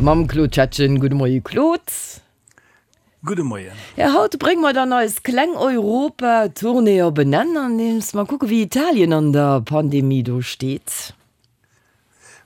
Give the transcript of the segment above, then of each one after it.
Mam Claude Schettgen. Gudde Moie Claude. Gudde Moien. Ja, haut brénge mer dann eis kleng Europa-Tournée op en Enn, andeems mer kucke wéi Italien an der Pandemie do steet.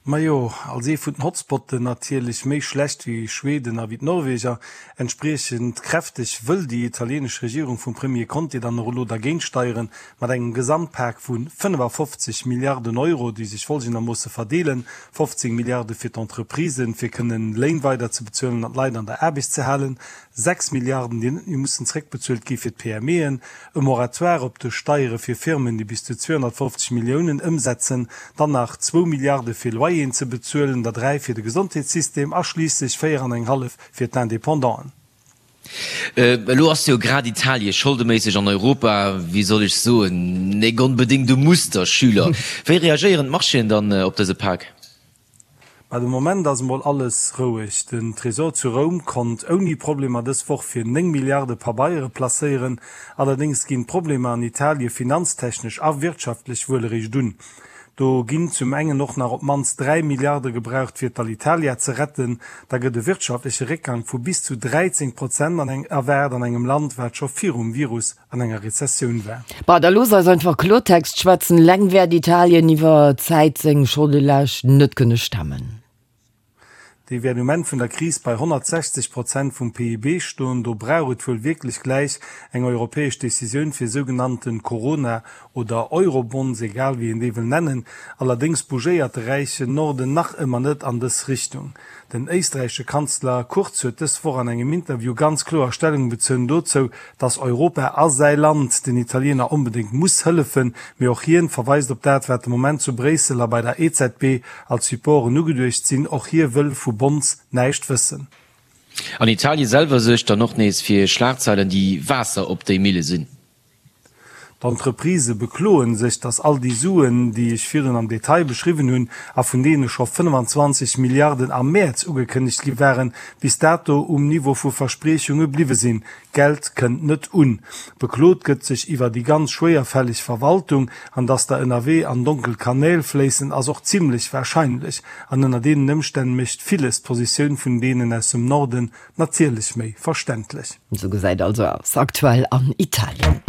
Majo, als ee vun den Hotspotten natierlech méi schlecht wéi Schweden a wéi d'Norweger. Entspriechend kräfteg wëll déi italienesch Regierung vum Premier Conte dann och elo dergéint steieren, mat engem Gesamtpak vu 55 Milliarden Euro, déi sech folgendermoosse verdeelen, 15 Milliarde fir d'Entreprisen, fir kënnen Léin weider ze bezuelen an d'Leit an der Aarbecht ze halen, 6 Milliarden, déi net méi mussen zréckbezuelt gi fir d'PMEen, e Moratoire op de Steiere fir Firmen, déi bis zu 250 Milliounen ëmsetzen, dann nach zwou Milliarde fir Loyeren ze bezuelen, der 3 fir de Gesondheetssystem a schliisslech 4 an eng hallef fir d'Independanten. Elo ass jo grad Italie scholdeméisseg an Europa, wéi soll ech soen, nek onbedéngt e Musterschüler. Wéi reagéieren d'Marchéen dann op dëse Pak? Mä de Moment ass emol alles roueg. Den Tresor zu Roum konnt ouni Problemer dës Woch fir 9 Milliarde Pabeiere placéieren. Allerdéngs ginn d'Problemer an Italie finanztechnesch a wirtschaftlech wuel eréischt un. Do ginn zum engen och nach op d'mannst 3 Milliarde gebraucht fir d'Alitalia ze retten. Da gëtt e wirtschaftleche Réckgang vu bis zu 13 Prozent erwaart an engem Land, wat scho virum Virus an enger Rezessioun war. Bah, da looss eis einfach Kloertext schwätzen, Leng wäert Italien iwwer Zäit seng Scholdelaascht net kënne stemmen. Déi wäert um Enn vun der Kris bei 160 Prozent vum PIB stoen. Do brauch et wuel wierklech gläich eng europäesch Decisioun fir sougenannte Corona oder Eurobonds, egal wéi een déi wëll nennen. Allerdéngs bougéiert de räichen Norden nach ëmmer net an dës Richtung. Den éisträichesche Kanzler Kurz huet dës Woch an engem Interview ganz kloer Stellung bezunn dozou, datt Europa a säi Land den Italiener onbedéngt muss hëllefen. Mee och hien verweist op dat, wat de Moment zu Bréissel a bei der EZB als Supporten ugeduecht sinn. Och hie wëll vu Bonds näischt wëssen. An Italie selwer suergt dann och nees fir Schlagzeilen, déi Waasser op déi Mille sinn. D'Entreprisë bekloe sech, datt all déi Suen, déi ech virdrun am Detail beschriwwen hunn a vun deene scho 25 Milliarden am Mäerz ugekënnegt gi waren, bis dato um Niveau vu Verspriechunge bliwwe sinn. D'Geld kënnt net un. Beklot gëtt sech iwwer déi ganz schwéierfälleg Verwaltung. An datt der ënnerwee an donkel Kanäl fléissen, ass och zimlech warscheinlech. An ënner deenen Ëmstänn mécht villes d'Positioun vun deenen aus dem Norden natierlech méi verständlech. Esou gesäit also aus aktuell an Italien.